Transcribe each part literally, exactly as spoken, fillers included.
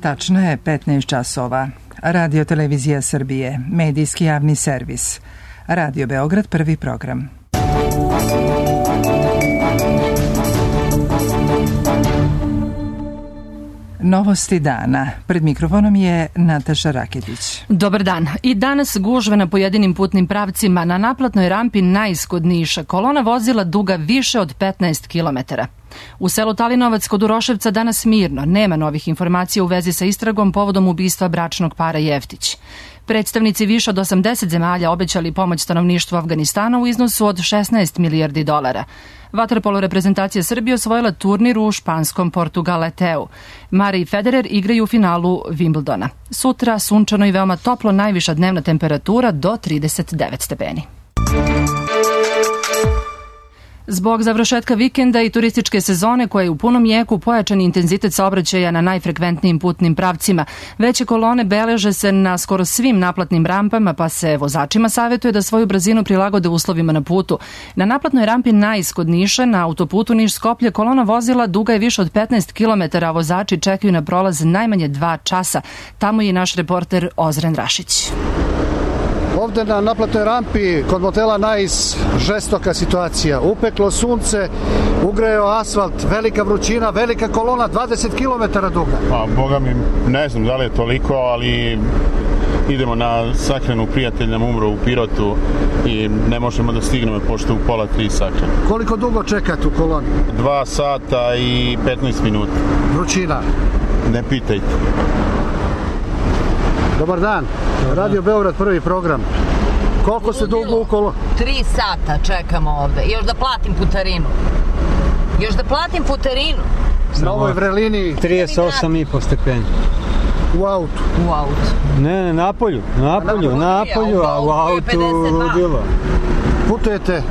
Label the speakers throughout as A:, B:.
A: Tačno je petnaest časova. Radio Televizija Srbije, medijski javni servis. Radio Beograd, prvi program. Novosti dana. Pred mikrofonom je Nataša Raketić.
B: Dobar dan. I danas gužve na pojedinim putnim pravcima. Na naplatnoj rampi najsk od Niša. Kolona vozila duga više od petnaest kilometara. U selu Talinovac kod Uroševca danas mirno. Nema novih informacija u vezi sa istragom povodom ubistva bračnog para Jeftić. Predstavnici više od osamdeset zemalja obećali pomoć stanovništvu Afganistana u iznosu od šesnaest milijardi dolara. Vaterpolo reprezentacija Srbije osvojila turnir u španskom Portugaleteu. Murray i Federer igraju u finalu Wimbledona. Sutra sunčano i veoma toplo, najviša dnevna temperatura do trideset devet stepeni. Zbog završetka vikenda i turističke sezone koja je u punom jeku, pojačan intenzitet saobraćaja na najfrekventnijim putnim pravcima. Veće kolone beleže se na skoro svim naplatnim rampama, pa se vozačima savjetuje da svoju brzinu prilagode uslovima na putu. Na naplatnoj rampi najsk od Niša, na autoputu Niš-Skoplje, kolona vozila duga je više od petnaest kilometara, a vozači čekaju na prolaz najmanje dva časa. Tamo je i naš reporter Ozren Rašić.
C: Ovde na naplatnoj rampi kod motela Nais žestoka situacija. Upeklo sunce, ugreo asfalt, velika vrućina, velika kolona, dvadeset kilometara duga.
D: Pa, boga mi, ne znam da li je toliko, ali idemo na sahranu, prijatelj nam umro u Pirotu i ne možemo da stignemo pošto u pola tri sahrane.
C: Koliko dugo čekate u koloni?
D: Dva sata i petnaest minuta.
C: Vrućina?
D: Ne pitajte.
C: Dobar dan, Radio Beograd, prvi program. Koliko se dugo u koloni?
E: Tri sata čekamo ovde. Još da platim putarinu. Još da platim putarinu.
C: Na ovoj vrelini
F: trideset osam i po stepeni.
C: U autu?
E: U autu.
F: Ne, ne, na polju, na polju, na polju, a u autu ludilo.
C: Putujete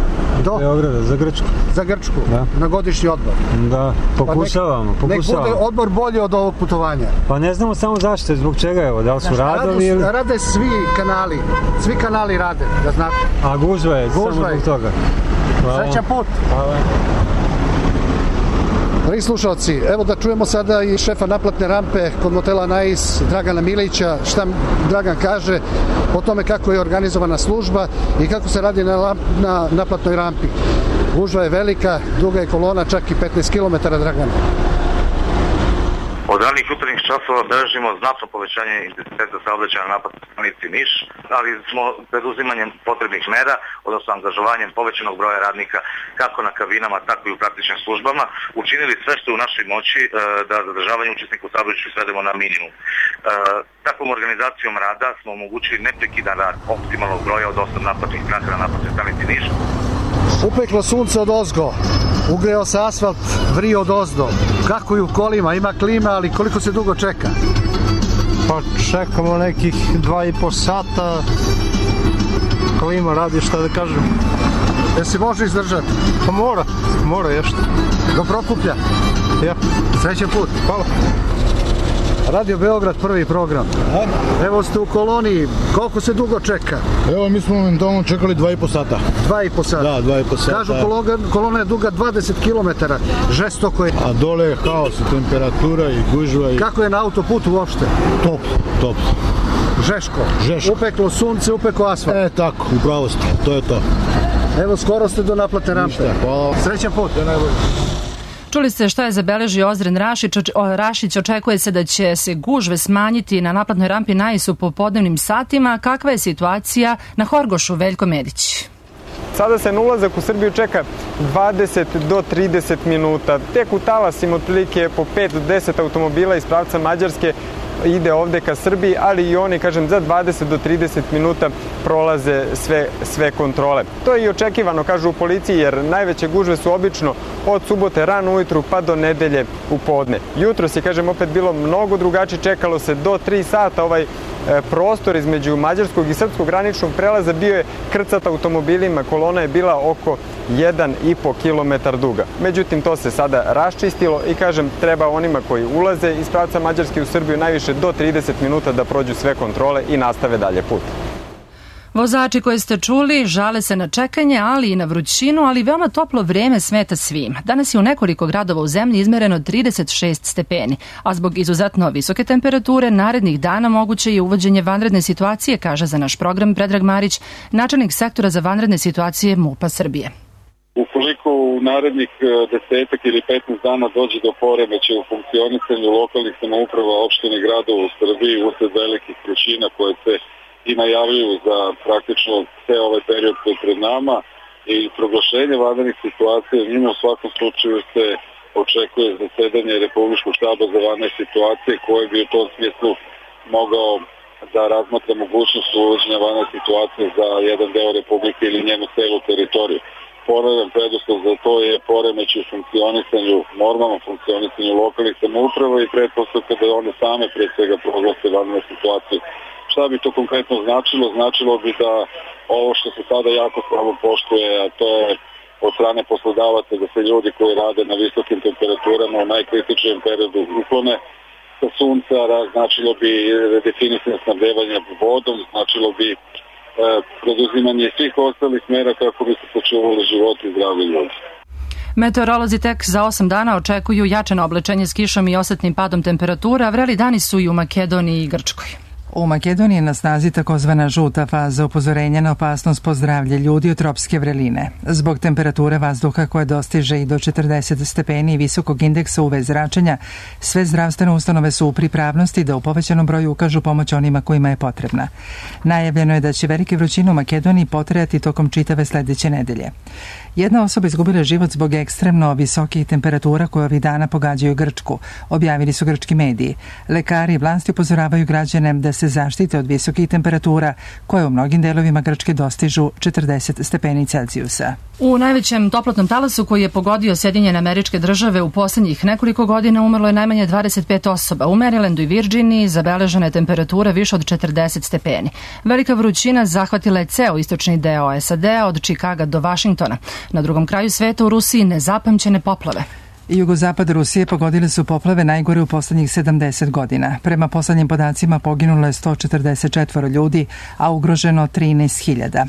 C: do?
F: Beograda, za Grčku.
C: Za Grčku?
F: Da.
C: Na godišnji odmor?
F: Da, pokušavamo,
C: pa nek,
F: pokušavamo.
C: Nek bude odmor bolji od ovog putovanja.
F: Pa ne znamo samo zašto, zbog čega, evo, da li su radovi ili...
C: Rade svi kanali, svi kanali rade, da znate.
F: A gužva je,
C: gužva
F: samo zbog toga.
C: Hvala. Srećan put.
F: Hvala.
C: Dragi slušalci, evo da čujemo sada i šefa naplatne rampe kod motela Nais, Dragana Milića, šta Dragan kaže o tome kako je organizovana služba i kako se radi na, na naplatnoj rampi. Gužva je velika, duga je kolona, čak i petnaest kilometara, Dragan.
G: Od ranih jutarnjih časova beležimo znatno povećanje intenziteta saobraćaja na naplatnoj stanici Niš, ali smo preduzimanjem potrebnih mera, odnosno angažovanjem povećanog broja radnika kako na kabinama, tako i u praktičnim službama, učinili sve što je u našoj moći da zadržavanje učesnika u saobraćaju svedemo na minimum. Takvom organizacijom rada smo omogućili neprekidan rad optimalnog broja od osam naplatnih stranaka na naplatnoj stanici Niš.
C: Upeklo sunce od ozgo, ugreo se asfalt, vrio od ozdo. Kako je u kolima? Ima klima, ali koliko se dugo čeka?
H: Pa čekamo nekih dva i po sata. Klima radi, šta da kažem.
C: Jel se može izdržati?
H: Pa mora, mora još.
C: Do Prokuplja?
H: Ja.
C: Srećan put.
H: Hvala.
C: Radio Beograd, prvi program. Evo ste u koloni, koliko se dugo čeka?
H: Evo mi smo momentalno čekali dva i po sata.
C: Dva i po sata?
H: Da, dva i po sata.
C: Kažu kolona, kolona je duga dvadeset kilometara, žestoko je.
H: A dole je haos i temperatura i gužva. I...
C: Kako je na autoputu uopšte?
H: Top, top.
C: Žeško?
H: Žeško.
C: Upeklo sunce, upeklo asfalt.
H: E, tako, upravo ste, to je to.
C: Evo, skoro ste do naplatne rampe.
H: Ništa, hvala.
C: Srećan put. Ja najbolje.
B: Čuli ste šta je zabeležio Ozren Rašić. Rašić očekuje se da će se gužve smanjiti na naplatnoj rampi Nais u popodnevnim satima. Kakva je situacija na Horgošu? Veljko Medić.
I: Sada se na ulazak u Srbiju čeka dvadeset do trideset minuta. Tek u talasima otprilike po pet do deset automobila iz pravca Mađarske ide ovde ka Srbiji, ali i oni, kažem, za dvadeset do trideset minuta prolaze sve, sve kontrole. To je i očekivano, kažu u policiji, jer najveće gužve su obično od subote rano ujutru pa do nedelje u podne. Jutros je, kažem, opet bilo mnogo drugačije, čekalo se do tri sata. Ovaj prostor između mađarskog i srpskog graničnog prelaza bio je krcat automobilima, kolona je bila oko jedan i po kilometar duga. Međutim, to se sada raščistilo i, kažem, treba onima koji ulaze iz pravca Mađarske u Srbiju najviše do trideset minuta da prođu sve kontrole i nastave dalje put.
B: Vozači koje ste čuli žale se na čekanje, ali i na vrućinu, ali veoma toplo vreme smeta svima. Danas je u nekoliko gradova u zemlji izmereno trideset šest stepeni, a zbog izuzetno visoke temperature narednih dana moguće je uvođenje vanredne situacije, kaže za naš program Predrag Marić, načelnik sektora za vanredne situacije MUP-a Srbije.
J: Ukoliko u narednih desetak ili petnaest dana dođe do poremeća u funkcionisanju lokalnih samouprava, opštine i gradova u Srbiji usled velikih vrućina koje se i najavljuju za praktično sve ovaj period koji je pred nama i proglašenje vanrednih situacija, njima u svakom slučaju se očekuje zasedanje Republičkog štaba za vanredne situacije koje bi u tom smislu mogao da razmatra mogućnost uvođenja vanredne situacije za jedan deo Republike ili njenu celu teritoriju. Ponavljam, preduslov za to je poremeć u funkcionisanju, normalnom funkcionisanju lokalnih samouprava i pretpostavka da one same pre svega proglase vanrednu situaciju. Šta bi to konkretno značilo? Značilo bi da ovo što se sada jako slabo poštuje, a to je od strane poslodavaca da se ljudi koji rade na visokim temperaturama u najkritičnijem periodu uklone sa sunca, značilo bi redefinisanje snabdevanja vodom, značilo bi e, preduzimanje svih ostalih mera kako bi se sačuvali životi i zdravlje ljudi.
B: Meteorolozi tek za osam dana očekuju jačano oblečenje s kišom i osetnim padom temperatura, a vreli dani su i u Makedoniji i Grčkoj.
A: U Makedoniji je na snazi takozvana žuta faza upozorenja na opasnost po zdravlje ljudi od tropske vreline. Zbog temperature vazduha koja dostiže i do četrdeset stepeni i visokog indeksa U V zračenja, sve zdravstvene ustanove su u pripravnosti da u povećanom broju ukažu pomoć onima kojima je potrebna. Najavljeno je da će velike vrućine u Makedoniji potrajati tokom čitave sledeće nedelje. Jedna osoba izgubila život zbog ekstremno visokih temperatura koje ovih dana pogađaju Grčku, objavili su grčki mediji. Lekari i vlasti upozoravaju građane da se zaštite od visokih temperatura koje u mnogim delovima Grčke dostižu četrdeset stepeni Celzijusa.
B: U najvećem toplotnom talasu koji je pogodio Sjedinjene Američke Države u poslednjih nekoliko godina umrlo je najmanje dvadeset pet osoba. U Marylandu i Virginiji zabeležena je temperatura više od četrdeset stepeni. Velika vrućina zahvatila je ceo istočni deo S A D-a od Čikaga do Vašingtona. Na drugom kraju sveta u Rusiji nezapamćene poplave.
A: Jugozapad Rusije pogodile su poplave najgore u poslednjih sedamdeset godina. Prema poslednjim podacima poginulo je sto četrdeset četvoro ljudi, a ugroženo trinaest hiljada.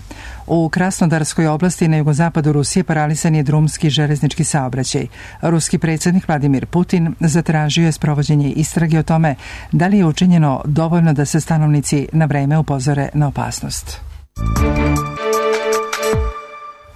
A: U Krasnodarskoj oblasti na jugozapadu Rusije paralisan je drumski železnički saobraćaj. Ruski predsjednik Vladimir Putin zatražio je sprovođenje istrage o tome da li je učinjeno dovoljno da se stanovnici na vreme upozore na opasnost.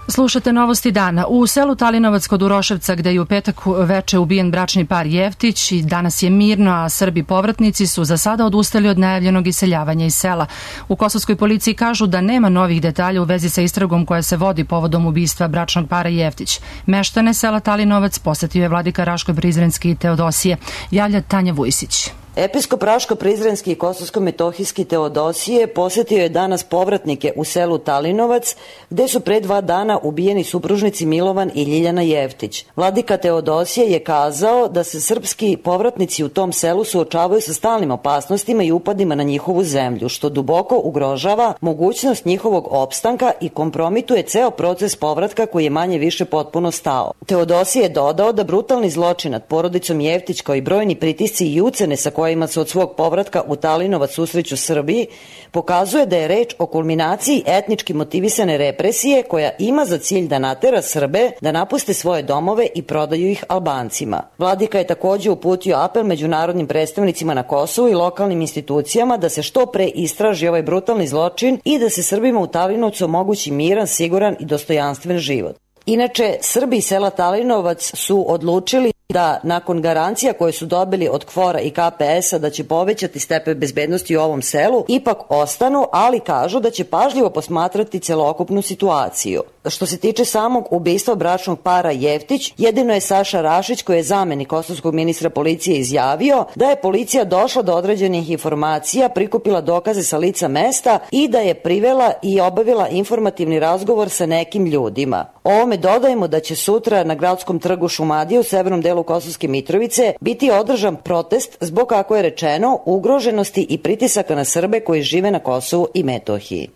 B: Slušate novosti dana. U selu Talinovac kod Uroševca, gde je u petak veče ubijen bračni par Jeftić, i danas je mirno, a Srbi povratnici su za sada odustali od najavljenog iseljavanja iz sela. U kosovskoj policiji kažu da nema novih detalja u vezi sa istragom koja se vodi povodom ubistva bračnog para Jeftić. Meštane sela Talinovac posetio je vladika Raško-Prizrenski i Teodosije. Javlja Tanja Vujsić.
K: Episkop Raško-Prizrenski i Kosovsko-Metohijski Teodosije posetio je danas povratnike u selu Talinovac, gde su pre dva dana ubijeni supružnici Milovan i Ljiljana Jeftić. Vladika Teodosije je kazao da se srpski povratnici u tom selu suočavaju sa stalnim opasnostima i upadima na njihovu zemlju, što duboko ugrožava mogućnost njihovog opstanka i kompromituje ceo proces povratka koji je manje više potpuno stao. Teodosije je dodao da brutalni zločin nad porodicom Jeftić kao i brojni pritisci i ucene sa kojima se od svog povratka u Talinovac susreću Srbiji, pokazuje da je reč o kulminaciji etnički motivisane represije koja ima za cilj da natera Srbe da napuste svoje domove i prodaju ih Albancima. Vladika je takođe uputio apel međunarodnim predstavnicima na Kosovu i lokalnim institucijama da se što pre istraži ovaj brutalni zločin i da se Srbima u Talinovcu omogući miran, siguran i dostojanstven život. Inače, Srbi iz sela Talinovac su odlučili da nakon garancija koje su dobili od KFOR-a i K P S-a da će povećati stepen bezbednosti u ovom selu, ipak ostanu, ali kažu da će pažljivo posmatrati celokupnu situaciju. Što se tiče samog ubistva bračnog para Jeftić, jedino je Saša Rašić, koji je zamenik kosovskog ministra policije, izjavio da je policija došla do određenih informacija, prikupila dokaze sa lica mesta i da je privela i obavila informativni razgovor sa nekim ljudima. Ovome dodajemo da će sutra na gradskom trgu Šumadije u severnom delu Kosovske Mitrovice biti održan protest zbog, kako je rečeno, ugroženosti i pritisaka na Srbe koji žive na Kosovu i Metohiji.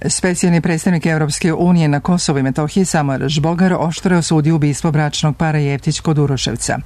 A: Specijalni predstavnik Evropske unije na Kosovu i Metohiji Samuel Žbogar oštro je osudio ubistvo bračnog para Jeftić kod Uroševca.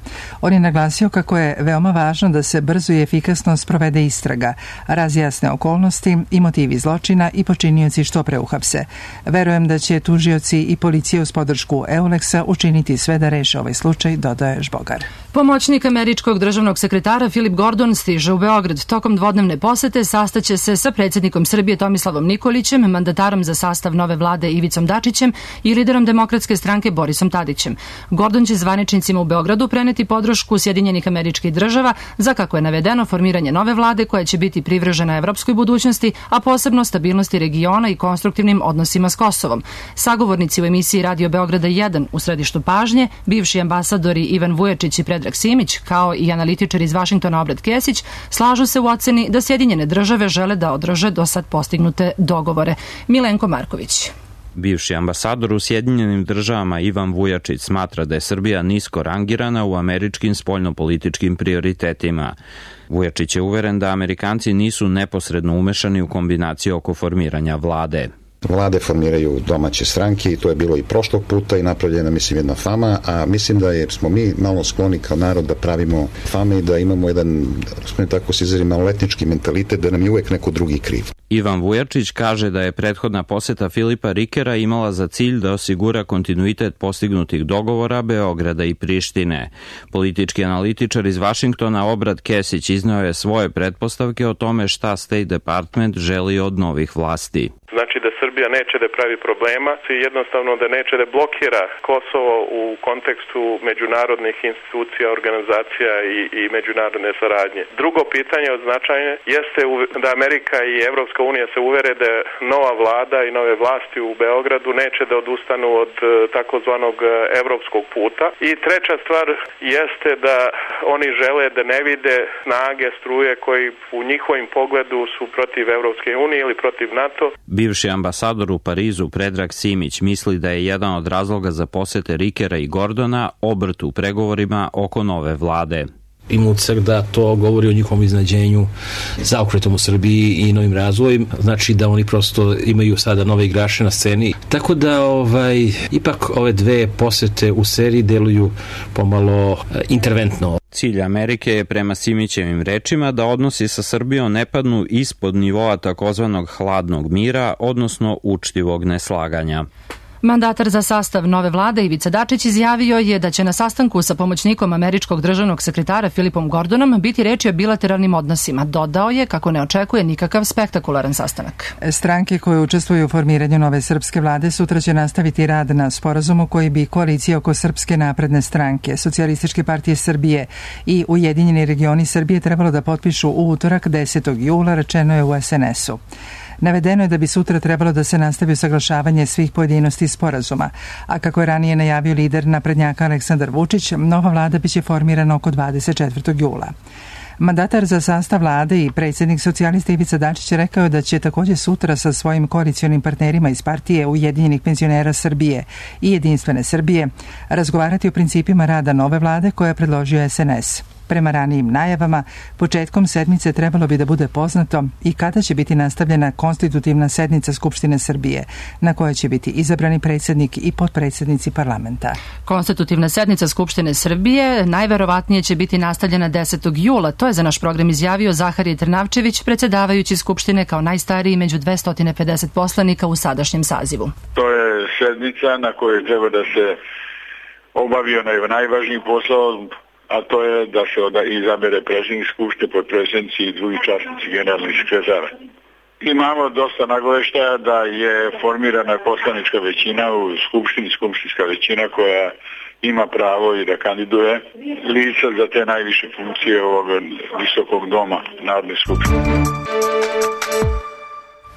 A: On je naglasio kako je veoma važno da se brzo i efikasno sprovede istraga, razjasne okolnosti i motivi zločina i počinioci što pre uhapse. Verujem da će tužioci i policija uz podršku Euleksa učiniti sve da reše ovaj slučaj, dodaje Žbogar.
B: Pomoćnik američkog državnog sekretara Filip Gordon stiže u Beograd. Tokom dvodnevne posete sastaće se sa predsjednikom Srbije Tomislavom Nikolićem, mandatarom za sastav nove vlade Ivicom Dačićem i liderom Demokratske stranke Borisom Tadićem. Gordon će zvaničnicima u Beogradu preneti podršku Sjedinjenih Američkih Država za, kako je navedeno, formiranje nove vlade koja će biti privržena evropskoj budućnosti, a posebno stabilnosti regiona i konstruktivnim odnosima s Kosovom. Sagovornici u emisiji Radio Beograda jedan u središtu pažnje, bivši ambasadori Ivan Vujačić i Predrag Simić, kao i analitičar iz Vašingtona Obred Kesić, slažu se u oceni da Sjedinjene Države žele da održe do sad postignute dogovore. Milenko Marković.
L: Bivši ambasador u Sjedinjenim Državama Ivan Vujačić smatra da je Srbija nisko rangirana u američkim spoljnopolitičkim prioritetima. Vujačić je uveren da Amerikanci nisu neposredno umešani u kombinaciju oko formiranja vlade.
M: Vlade formiraju domaće stranke i to je bilo i prošlog puta i napravljena, mislim, jedna fama, a mislim da je, smo mi malo skloni kao narod da pravimo fame i da imamo jedan, smo tako se izrazim, maloletnički mentalitet da nam je uvek neko drugi kriv.
L: Ivan Vujačić kaže da je prethodna poseta Filipa Rikera imala za cilj da osigura kontinuitet postignutih dogovora Beograda i Prištine. Politički analitičar iz Vašingtona Obrad Kesić izneo je svoje pretpostavke o tome šta State Department želi od novih vlasti.
N: Znači da Srbija neće da pravi problema i jednostavno da neće da blokira Kosovo u kontekstu međunarodnih institucija, organizacija i, i međunarodne saradnje. Drugo pitanje od značaja jeste da Amerika i Evropska unija se uvere da nova vlada i nove vlasti u Beogradu neće da odustanu od takozvanog evropskog puta. I treća stvar jeste da oni žele da ne vide snage, struje koji u njihovim pogledu su protiv Evropske unije ili protiv NATO.
L: Bivši ambasador u Parizu Predrag Simić misli da je jedan od razloga za posete Rikera i Gordona obrt u pregovorima oko nove vlade.
O: Ima utisak da to govori o njihovom iznađenju zaokretom u Srbiji i novim razvojem, znači da oni prosto imaju sada nove igrače na sceni. Tako da ovaj, ipak ove dve posete u seriji deluju pomalo interventno.
L: Cilj Amerike je prema Simićevim rečima da odnosi sa Srbijom ne padnu ispod nivoa takozvanog hladnog mira, odnosno učtivog neslaganja.
B: Mandatar za sastav nove vlade Ivica Dačić izjavio je da će na sastanku sa pomoćnikom američkog državnog sekretara Filipom Gordonom biti reči o bilateralnim odnosima. Dodao je kako ne očekuje nikakav spektakularan sastanak.
A: Stranke koje učestvuju u formiranju nove srpske vlade sutra će nastaviti rad na sporazumu koji bi koalicija oko Srpske napredne stranke, Socijalističke partije Srbije i Ujedinjeni regioni Srbije trebalo da potpišu u utorak desetog jula, rečeno je u es en esu. Navedeno je da bi sutra trebalo da se nastavi usaglašavanje svih pojedinosti sporazuma, a kako je ranije najavio lider naprednjaka Aleksandar Vučić, nova vlada biće formirana oko dvadeset četvrtog jula. Mandatar za sastav vlade i predsjednik socijalista Ivica Dačić rekao je da će također sutra sa svojim koalicionim partnerima iz partije Ujedinjenih penzionera Srbije i Jedinstvene Srbije razgovarati o principima rada nove vlade koje je predložio es en es. Prema ranijim najavama, početkom sedmice trebalo bi da bude poznato i kada će biti nastavljena konstitutivna sednica Skupštine Srbije, na kojoj će biti izabrani predsjednik i potpredsjednici parlamenta.
B: Konstitutivna sednica Skupštine Srbije najverovatnije će biti nastavljena desetog jula. To je za naš program izjavio Zaharije Trnavčević, predsjedavajući Skupštine kao najstariji među dvesta pedeset poslanika u sadašnjem sazivu.
J: To je sednica na kojoj treba da se obavi onaj najvažniji posao, a to je da se izabere predsjednik Skupštine, potpredsjednici i drugi časnici generalni sekretar. Imamo dosta nagoveštaja da je formirana poslanička većina u Skupštini, skupštinska većina koja ima pravo i da kandiduje lica za te najviše funkcije ovog visokog doma Narodne skupštine.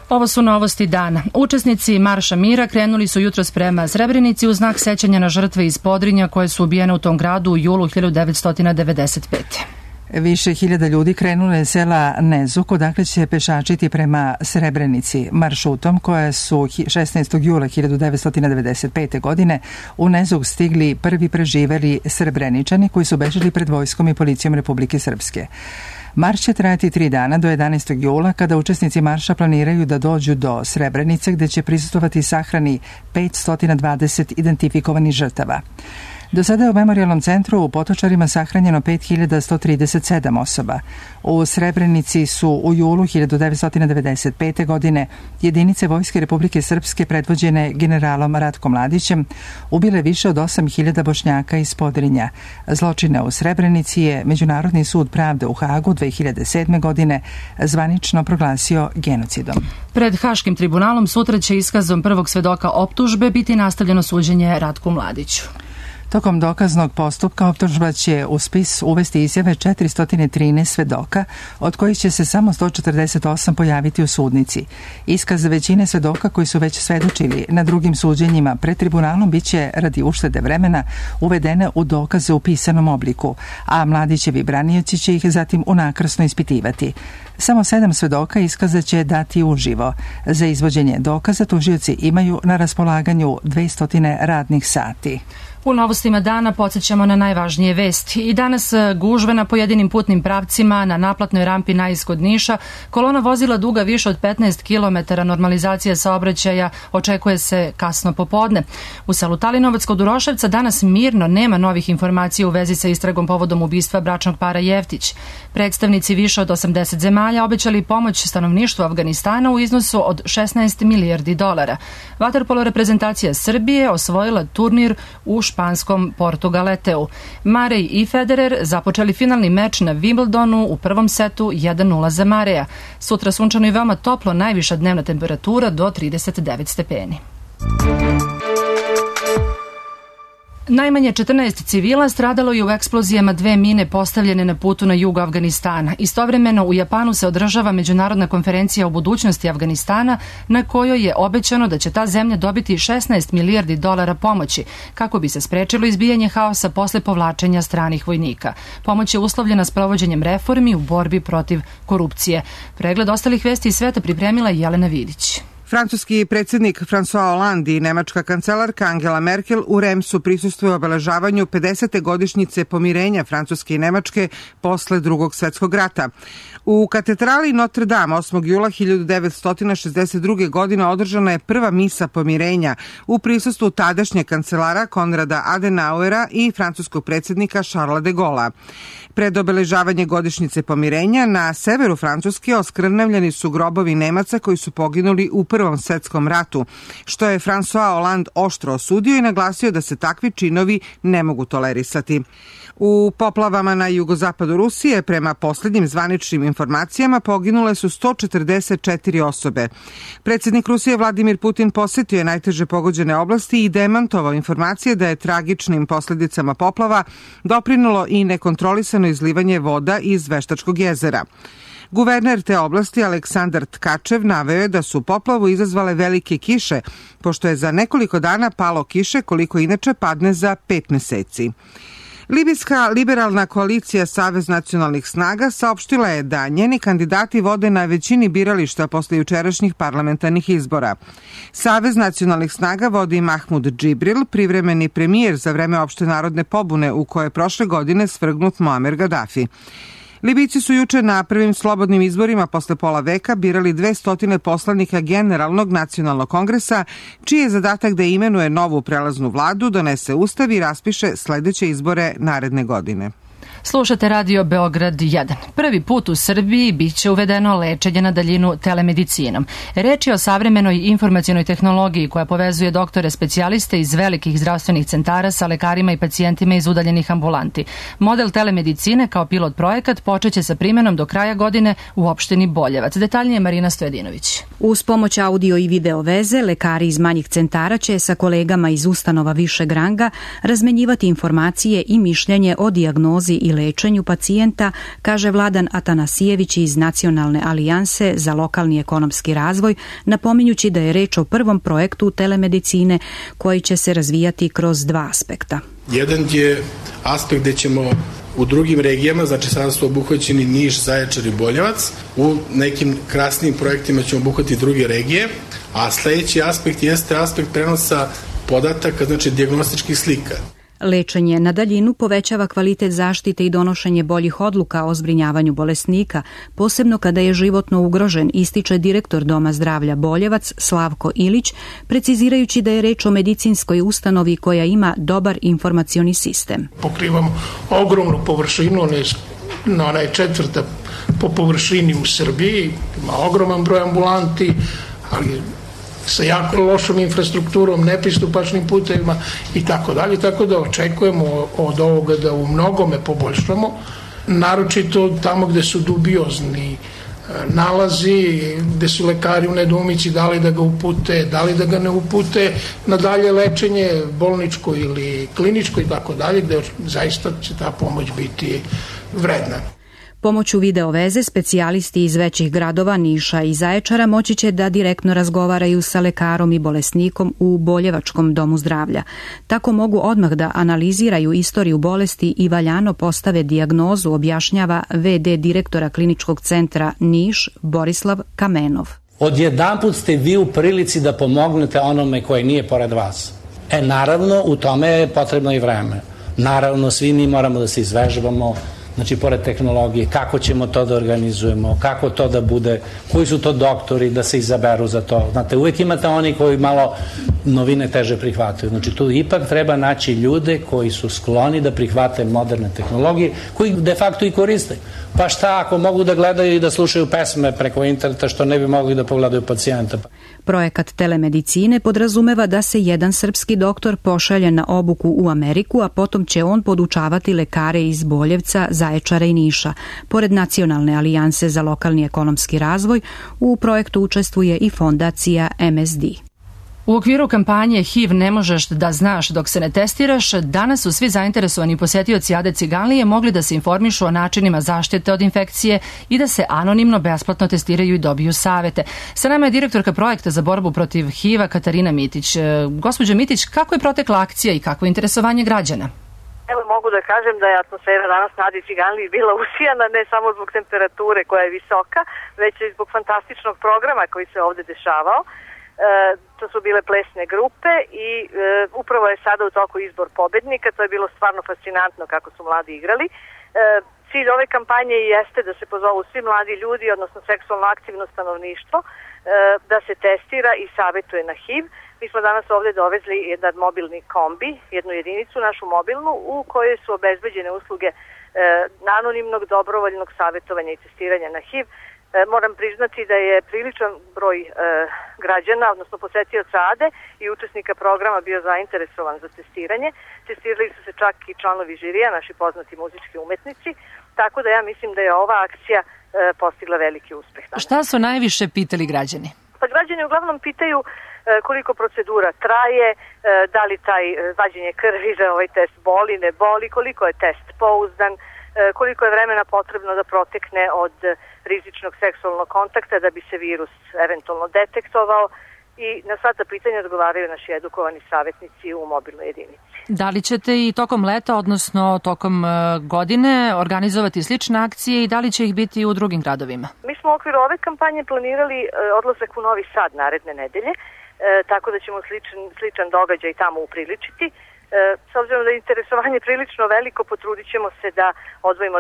B: Ovo su novosti dana. Učesnici Marša mira krenuli su jutros prema Srebrenici u znak sećanja na žrtve iz Podrinja koje su ubijene u tom gradu u julu hiljadu devetsto devedeset pete.
A: Više hiljada ljudi krenulo je sela Nezuk, odakle će pešačiti prema Srebrenici. Maršutom koje su šesnaestog jula hiljadu devetsto devedeset pete. godine u Nezuk stigli prvi preživeli Srebreničani koji su bežali pred vojskom i policijom Republike Srpske. Marš će trajati tri dana do jedanaestog jula, kada učesnici marša planiraju da dođu do Srebrenice, gde će prisustvovati sahrani petsto dvadeset identifikovanih žrtava. Do sada je u Memorijalnom centru u Potočarima sahranjeno pet hiljada sto trideset sedam osoba. U Srebrenici su u julu hiljadu devetsto devedeset pete. godine jedinice Vojske Republike Srpske predvođene generalom Ratkom Mladićem ubile više od osam hiljada Bošnjaka iz Podrinja. Zločine u Srebrenici je Međunarodni sud pravde u Hagu dve hiljade sedme. godine zvanično proglasio genocidom.
B: Pred Haškim tribunalom sutra će iskazom prvog svedoka optužbe biti nastavljeno suđenje Ratku Mladiću.
A: Tokom dokaznog postupka optužba će u spis uvesti izjave četiristo trinaest svedoka, od kojih će se samo sto četrdeset osam pojaviti u sudnici. Iskaz većine svedoka koji su već svedočili na drugim suđenjima pred tribunalom biće radi uštede vremena uvedene u dokaze u pisanom obliku, a Mladićevi branioci će ih zatim unakrsno ispitivati. Samo sedam svedoka iskaza će dati uživo. Za izvođenje dokaza tužioci imaju na raspolaganju dvesta radnih sati.
B: U novostima dana podsjećamo na najvažnije vesti. I danas gužve na pojedinim putnim pravcima na naplatnoj rampi na iskod Niša. Kolona vozila duga više od petnaest kilometara. Normalizacija saobraćaja očekuje se kasno popodne. U selu Talinovac kod Uroševca danas mirno, nema novih informacija u vezi sa istragom povodom ubistva bračnog para Jeftić. Predstavnici više od osamdeset zemalja obećali pomoć stanovništvu Afganistana u iznosu od šesnaest milijardi dolara. Vaterpolo reprezentacija Srbije osvojila turnir u španskom Portugaleteu. Marej i Federer započeli finalni meč na Wimbledonu u prvom setu jedan nula za Mareja. Sutra sunčano i veoma toplo, najviša dnevna temperatura do trideset devet stepeni. Najmanje četrnaest civila stradalo je u eksplozijama dve mine postavljene na putu na jugu Afganistana. Istovremeno u Japanu se održava međunarodna konferencija o budućnosti Afganistana, na kojoj je obećano da će ta zemlja dobiti šesnaest milijardi dolara pomoći kako bi se sprečilo izbijanje haosa posle povlačenja stranih vojnika. Pomoć je uslovljena s provođenjem reformi u borbi protiv korupcije. Pregled ostalih vesti iz sveta pripremila Jelena Vidić.
P: Francuski predsjednik François Hollande i nemačka kancelarka Angela Merkel u Remsu prisustvuju obeležavanju pedesete godišnjice pomirenja Francuske i Nemačke posle Drugog svjetskog rata. U katedrali Notre Dame osmog jula hiljadu devetsto šezdeset druge. godine održana je prva misa pomirenja u prisustvu tadašnjeg kancelara Konrada Adenauera i francuskog predsjednika Charlesa de Gaulla. Pred obeležavanje godišnjice pomirenja na severu Francuske oskrnavljeni su grobovi Nemaca koji su poginuli u Prvom svjetskom ratu, što je François Hollande oštro osudio i naglasio da se takvi činovi ne mogu tolerisati. U poplavama na jugozapadu Rusije, prema posljednjim zvaničnim informacijama, poginule su sto četrdeset četiri osobe. Predsjednik Rusije Vladimir Putin posjetio je najteže pogođene oblasti i demantovao informacije da je tragičnim posljedicama poplava doprinulo i nekontrolisano izlivanje voda iz Veštačkog jezera. Guverner te oblasti Aleksandar Tkačev naveo je da su poplavu izazvale velike kiše, pošto je za nekoliko dana palo kiše koliko inače padne za pet meseci. Libijska liberalna koalicija Savez nacionalnih snaga saopštila je da njeni kandidati vode na većini birališta posle jučerašnjih parlamentarnih izbora. Savez nacionalnih snaga vodi Mahmud Džibril, privremeni premijer za vreme opšte narodne pobune u koje je prošle godine svrgnut Muamer Gaddafi. Libijci su juče na prvim slobodnim izborima posle pola veka birali dvesta poslanika Generalnog nacionalnog kongresa, čiji je zadatak da imenuje novu prelaznu vladu, donese ustav i raspiše sledeće izbore naredne godine.
B: Slušate radio Beograd jedan. Prvi put u Srbiji biće uvedeno lečenje na daljinu telemedicinom. Reč je o savremenoj informacionoj tehnologiji koja povezuje doktore specijaliste iz velikih zdravstvenih centara sa lekarima i pacijentima iz udaljenih ambulanti. Model telemedicine kao pilot projekat počeće sa primenom do kraja godine u opštini Boljevac. Detaljnije Marina Stojedinović.
Q: Uz pomoć audio i video veze, lekari iz manjih centara će sa kolegama iz ustanova višeg ranga razmenjivati informacije i mišljenje o dijagnozi i lečenju pacijenta, kaže Vladan Atanasijević iz Nacionalne alijanse za lokalni ekonomski razvoj, napominjući da je reč o prvom projektu telemedicine koji će se razvijati kroz dva aspekta.
R: Jedan je aspekt gde ćemo u drugim regijama, znači sada su obuhvaćeni Niš, Zaječar i Boljevac, u nekim krasnim projektima ćemo obuhvatiti druge regije, a sledeći aspekt jeste aspekt prenosa podataka, znači dijagnostičkih slika.
Q: Lečenje na daljinu povećava kvalitet zaštite i donošenje boljih odluka o zbrinjavanju bolesnika, posebno kada je životno ugrožen, ističe direktor Doma zdravlja Boljevac Slavko Ilić, precizirajući da je reč o medicinskoj ustanovi koja ima dobar informacioni sistem.
R: Pokrivamo ogromnu površinu, ona je četvrta po površini u Srbiji, ima ogroman broj ambulanti, ali sa jako lošom infrastrukturom, nepristupačnim putevima i tako dalje, tako da očekujemo od ovoga da u mnogome poboljšamo, naročito tamo gde su dubiozni nalazi, gde su lekari u nedoumici da li da ga upute, da li da ga ne upute na dalje lečenje bolničko ili kliničko i tako dalje, gde zaista će ta pomoć biti vredna.
Q: Pomoću video veze specijalisti iz većih gradova Niša i Zaječara moći će da direktno razgovaraju sa lekarom i bolesnikom u Boljevačkom domu zdravlja. Tako mogu odmah da analiziraju istoriju bolesti i valjano postave dijagnozu, objašnjava ve de direktora kliničkog centra Niš Borislav Kamenov.
S: Odjedanput ste vi u prilici da pomognete onome koji nije pored vas. E naravno, u tome je potrebno i vreme. Naravno, svi mi moramo da se izvežbamo, znači, pored tehnologije, kako ćemo to da organizujemo, kako to da bude, koji su to doktori da se izaberu za to. Znate, uvijek imate oni koji malo novine teže prihvataju. Znači, tu ipak treba naći ljude koji su skloni da prihvate moderne tehnologije, koji de facto i koriste. Pa šta ako mogu da gledaju i da slušaju pesme preko interneta, što ne bi mogli da pogledaju pacijenta?
Q: Projekat telemedicine podrazumeva da se jedan srpski doktor pošalje na obuku u Ameriku, a potom će on podučavati lekare iz Boljevca, Zaječara i Niša. Pored Nacionalne alijanse za lokalni ekonomski razvoj, u projektu učestvuje i fondacija em es de.
B: U okviru kampanje H I V ne možeš da znaš dok se ne testiraš, danas su svi zainteresovani posetioci Ade Ciganlije mogli da se informišu o načinima zaštite od infekcije i da se anonimno besplatno testiraju i dobiju savete. Sa nama je direktorka projekta za borbu protiv H I V-a Katarina Mitić. Gospođo Mitić, kako je protekla akcija i kako je interesovanje građana?
T: Evo, mogu da kažem da je atmosfera danas na Adi Ciganliji bila usijana ne samo zbog temperature koja je visoka, već i zbog fantastičnog programa koji se ovde dešavao. E, to su bile plesne grupe i e, upravo je sada u toku izbor pobednika. To je bilo stvarno fascinantno kako su mladi igrali. E, cilj ove kampanje jeste da se pozovu svi mladi ljudi, odnosno seksualno aktivno stanovništvo, e, da se testira i savetuje na H I V. Mi smo danas ovde dovezli jedan mobilni kombi, jednu jedinicu našu mobilnu, u kojoj su obezbeđene usluge e, anonimnog dobrovoljnog savetovanja i testiranja na H I V. Moram priznati da je priličan broj e, građana, odnosno posetioca Ade i učesnika programa bio zainteresovan za testiranje. Testirali su se čak i članovi žirija, naši poznati muzički umetnici, tako da ja mislim da je ova akcija e, postigla veliki uspeh.
B: Šta su najviše pitali građani?
T: Pa građani uglavnom pitaju e, koliko procedura traje, e, da li taj e, vađenje krvi za ovaj test boli, ne boli, koliko je test pouzdan, koliko je vremena potrebno da protekne od rizičnog seksualnog kontakta da bi se virus eventualno detektovao i na sva ta pitanja odgovaraju naši edukovani savjetnici u mobilnoj jedinici.
B: Da li ćete i tokom leta, odnosno tokom godine, organizovati slične akcije i da li će ih biti u drugim gradovima?
T: Mi smo u okviru ove kampanje planirali odlazak u Novi Sad naredne nedelje, tako da ćemo sličan, sličan događaj tamo upriličiti. S obzirom da je interesovanje prilično veliko, potrudit ćemo se da odvojimo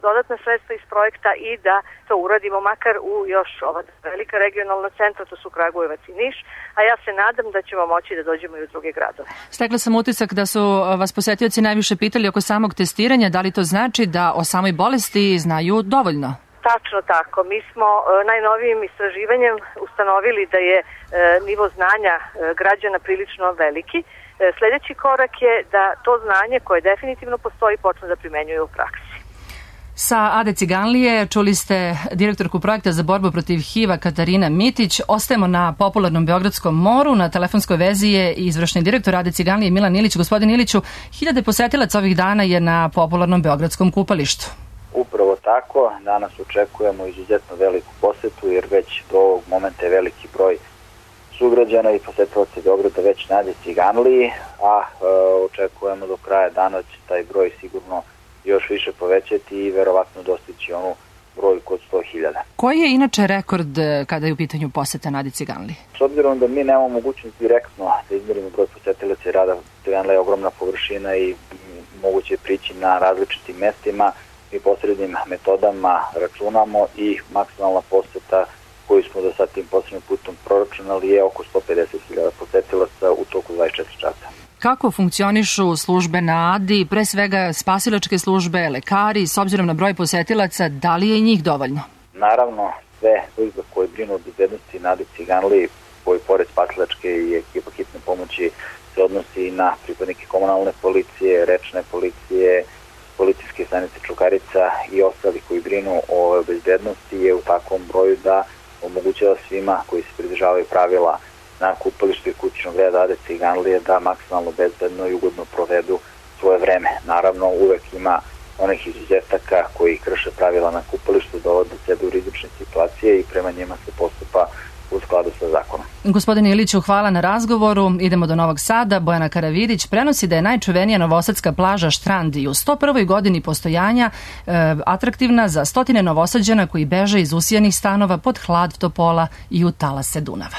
T: dodatna sredstva iz projekta i da to uradimo makar u još ova velika regionalna centra, to su Kragujevac i Niš, a ja se nadam da ćemo moći da dođemo i u druge gradove.
B: Stekla sam utisak da su vas posetioci najviše pitali oko samog testiranja, da li to znači da o samoj bolesti znaju dovoljno?
T: Tačno tako. Mi smo najnovijim istraživanjem ustanovili da je nivo znanja građana prilično veliki. Sljedeći korak je da to znanje koje definitivno postoji počne da primenjuje u praksi.
B: Sa Ade Ciganlije čuli ste direktorku projekta za borbu protiv H I V-a Katarina Mitić. Ostajemo na popularnom Beogradskom moru. Na telefonskoj vezi je izvršni direktor Ade Ciganlije Milan Ilić. Gospodin Iliću, hiljade posetilaca ovih dana je na popularnom Beogradskom kupalištu.
U: Upravo tako. Danas očekujemo izuzetno veliku posetu jer već do ovog momenta je veliki broj sugrađana i posetilaca Beograda već na Adi Ciganliji, a e, očekujemo do kraja dana će taj broj sigurno još više povećati i verovatno dostići onu brojku od sto hiljada.
B: Koji je inače rekord kada je u pitanju poseta Nadi Ciganliji?
U: S obzirom da mi nemamo mogućnost direktno da izmerimo broj posetilaca i rada Ciganlija je ogromna površina i moguće je prići na različitim mestima, mi posrednim metodama računamo i maksimalna poseta koju smo do sad tim posebnim putom proračunali je oko sto pedeset hiljada posetilaca u toku dvadeset četiri časa.
B: Kako funkcionišu službe na Adi, pre svega spasilačke službe, lekari, s obzirom na broj posetilaca, da li je i njih dovoljno?
U: Naravno, sve službe koje brinu o bezbednosti Nadi Ciganliji, koji pored spasilačke i ekipa hitne pomoći se odnosi i na pripadnike komunalne policije, rečne policije, policijske stanice Čukarica i ostali koji brinu o bezbednosti je u takvom broju da omogućava svima koji se pridržavaju pravila na kupalištu i kućnog reda Ade Ciganlije da maksimalno bezbedno i ugodno provedu svoje vreme. Naravno, uvek ima onih izuzetaka koji krše pravila na kupalištu, dovode sebe u rizične situacije i prema njima se postupa u skladu sa zakonom.
B: Gospodine Iliću, hvala na razgovoru. Idemo do Novog Sada. Bojana Karavidić prenosi da je najčuvenija novosadska plaža Štrand i u sto prvoj godini postojanja e, atraktivna za stotine Novosađana koji beže iz usijanih stanova pod hlad topola i u talase Dunava.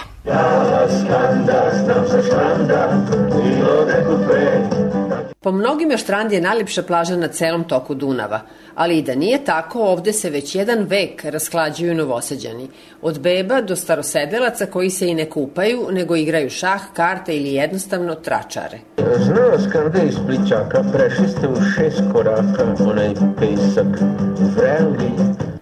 D: Po mnogima Štrand je najljepša plaža na celom toku Dunava, ali i da nije tako, ovde se već jedan vek rasklađuju Novosađani. Od beba do starosedelaca koji se i ne kupaju, nego igraju šah, karte ili jednostavno tračare.
V: Znao Skande iz Plićaka, prešli ste u šest koraka, onaj pesak, vreli.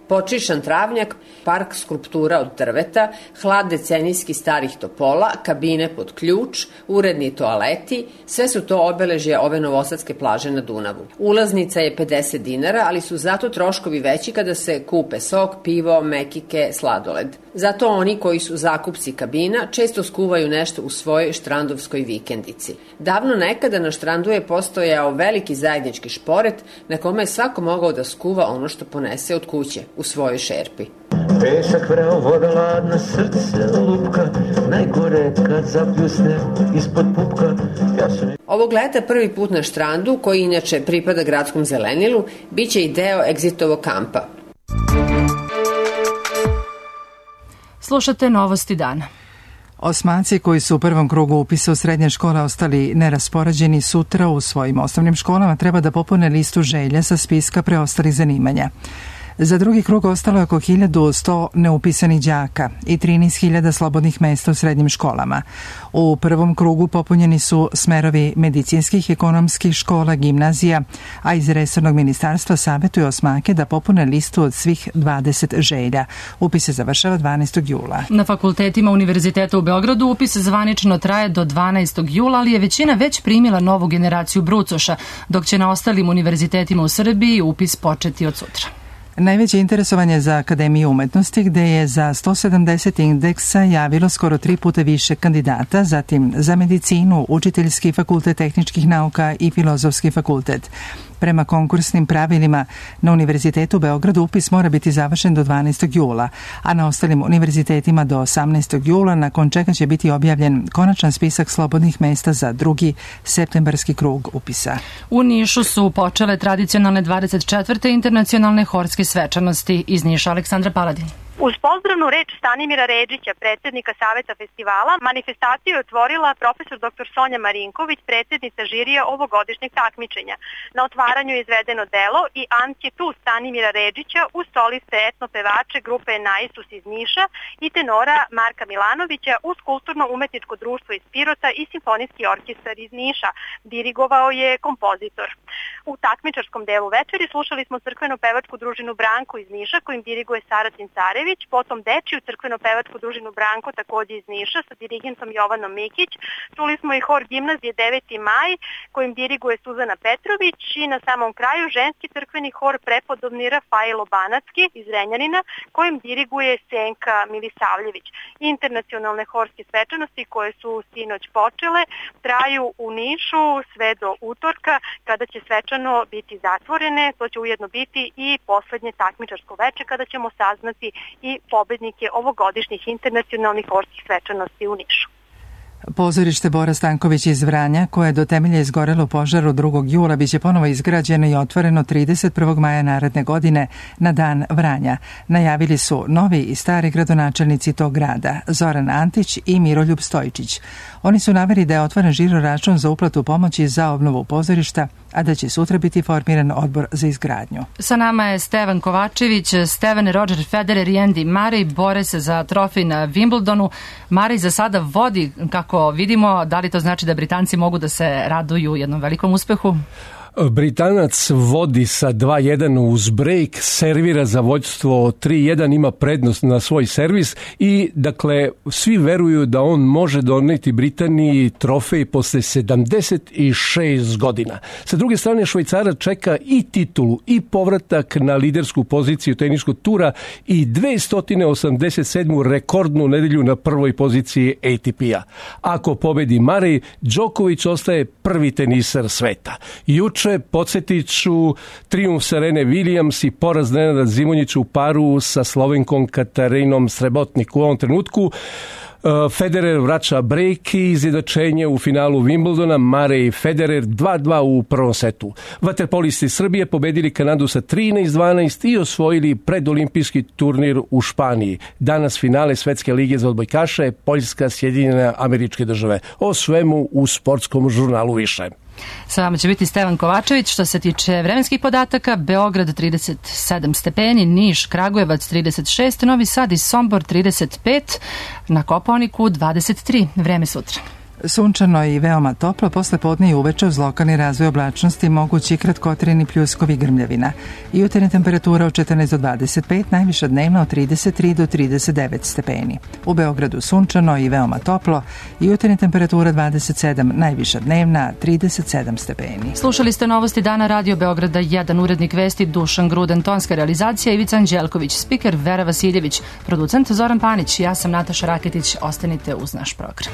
D: Počišan travnjak, park skulptura od drveta, hlad decenijski starih topola, kabine pod ključ, uredni toaleti, sve su to obeležje ove novosadske plaže na Dunavu. Ulaznica je pedeset dinara, ali su zato troškovi veći kada se kupe sok, pivo, mekike, sladoled. Zato oni koji su zakupci kabina često skuvaju nešto u svojoj štrandovskoj vikendici. Davno nekada na Štrandu je postojao veliki zajednički šporet na kome je svako mogao da skuva ono što ponese od kuće u svojoj šerpi.
V: Pesak vreo, voda ladna, srce lupka, najgore kad zapljusne ispod pupka. Ja sam...
D: Ovog leta prvi put na Štrandu, koji inače pripada gradskom zelenilu, bit će i deo Exitovog kampa.
B: Slušate Novosti dana.
A: Osmaci koji su u prvom krugu upisa u srednje škole ostali neraspoređeni sutra u svojim osnovnim školama treba da popune listu želja sa spiska preostalih zanimanja. Za drugi krug ostalo je oko hiljadu sto neupisanih đaka i trinaest hiljada slobodnih mesta u srednjim školama. U prvom krugu popunjeni su smerovi medicinskih, ekonomskih škola, gimnazija, a iz resornog ministarstva savetuju osmake da popune listu od svih dvadeset želja. Upis se završava dvanaestog jula.
B: Na fakultetima Univerziteta u Beogradu upis zvanično traje do dvanaestog jula, ali je većina već primila novu generaciju brucoša, dok će na ostalim univerzitetima u Srbiji upis početi od sutra.
A: Najveće interesovanje za Akademiju umetnosti, gde je za sto sedamdeset indeksa javilo skoro tri puta više kandidata, zatim za medicinu, učiteljski fakultet tehničkih nauka i filozofski fakultet. Prema konkursnim pravilima na Univerzitetu u Beogradu upis mora biti završen do dvanaestog jula, a na ostalim univerzitetima do osamnaestog jula, nakon čega će biti objavljen konačan spisak slobodnih mesta za drugi septembarski krug upisa.
B: U Nišu su počele tradicionalne dvadeset četvrte internacionalne horske svečanosti. Iz Niša Aleksandra Paladin.
W: Uz pozdravnu reč Stanimira Redžića, predsjednika Saveta festivala, manifestaciju je otvorila profesor doktor Sonja Marinković, predsjednica žirija ovogodišnjeg takmičenja. Na otvaranju je izvedeno delo i Ankjetu Stanimira Redžića uz soliste etnopevače grupe Naisus iz Niša i tenora Marka Milanovića uz kulturno-umetničko društvo iz Pirota i simfonijski orkestar iz Niša. Dirigovao je kompozitor. U takmičarskom delu večeri slušali smo crkveno-pevačku družinu Branko iz Niša kojim diriguje Saratin Carević, potom dečiju crkveno-pevačku družinu Branko takođe iz Niša sa dirigentom Jovanom Mikić. Čuli smo i hor gimnazije deveti maj kojim diriguje Suzana Petrović i na samom kraju ženski crkveni hor prepodobni Rafailo Banatski iz Renjanina kojim diriguje Senka Milisavljević. Internacionalne horske svečanosti koje su sinoć počele traju u Nišu sve do utorka kada će svečano biti zatvorene. To će ujedno biti i poslednje takmičarsko veče kada ćemo saznati i pobednike ovogodišnjih internacionalnih horskih svečanosti u Nišu.
A: Pozorište Bora Stanković iz Vranja, koje je do temelja izgorelo u požaru drugog jula, biće ponovo izgrađeno i otvoreno trideset prvog maja naredne godine na Dan Vranja. Najavili su novi i stari gradonačelnici tog grada, Zoran Antić i Miroljub Stojčić. Oni su naveli da je otvoren žiro račun za uplatu pomoći za obnovu pozorišta, a da će sutra biti formiran odbor za izgradnju.
B: Sa nama je Stevan Kovačević. Stevan, Roger Federer i Andy Murray bore se za trofej na Wimbledonu. Murray za sada vodi, kako vidimo. Da li to znači da Britanci mogu da se raduju jednom velikom uspehu?
E: Britanac vodi sa dva jedan uz break, servira za vođstvo tri jedan, ima prednost na svoj servis i dakle svi veruju da on može doneti Britaniji trofej posle sedamdeset šest godina. Sa druge strane Švajcara čeka i titulu i povratak na lidersku poziciju teniskog tura i dvesta osamdeset sedmu rekordnu nedelju na prvoj poziciji A T P-a. Ako pobedi Murray, Đoković ostaje prvi tenisar sveta. Juče podsjetit ću trijumf Serene Williams i poraz Nenada Zimonjića u paru sa Slovenkom Katarinom Srebotnik. U ovom trenutku Federer vraća break i izjednačenje u finalu Wimbledona, Murray i Federer dva dva u prvom setu. Vaterpolisti Srbije pobedili Kanadu sa trinaest dvanaest i osvojili predolimpijski turnir u Španiji. Danas finale Svetske lige za odbojkaše, Poljska, Sjedinjene Američke Države. O svemu u sportskom žurnalu više.
B: Sa vama će biti Stevan Kovačević. Što se tiče vremenskih podataka, Beograd trideset sedam stepeni, Niš, Kragujevac trideset šest, Novi Sad i Sombor trideset pet, na Kopaoniku dvadeset tri. Vreme sutra.
A: Sunčano i veoma toplo, posle podne i uveče uz lokalni razvoj oblačnosti mogući kratkotrajni pljuskovi grmljavina. Jutarnja temperatura od četrnaest do dvadeset pet, najviša dnevna od trideset tri do trideset devet stepeni. U Beogradu sunčano i veoma toplo, jutarnja temperatura dvadeset sedam, najviša dnevna trideset sedam stepeni.
B: Slušali ste novosti dana Radio Beograda jedan, urednik vesti Dušan Gruden, tonska realizacija Ivica Anđelković, spiker Vera Vasiljević, producent Zoran Panić, ja sam Nataša Raketić, ostanite uz naš program.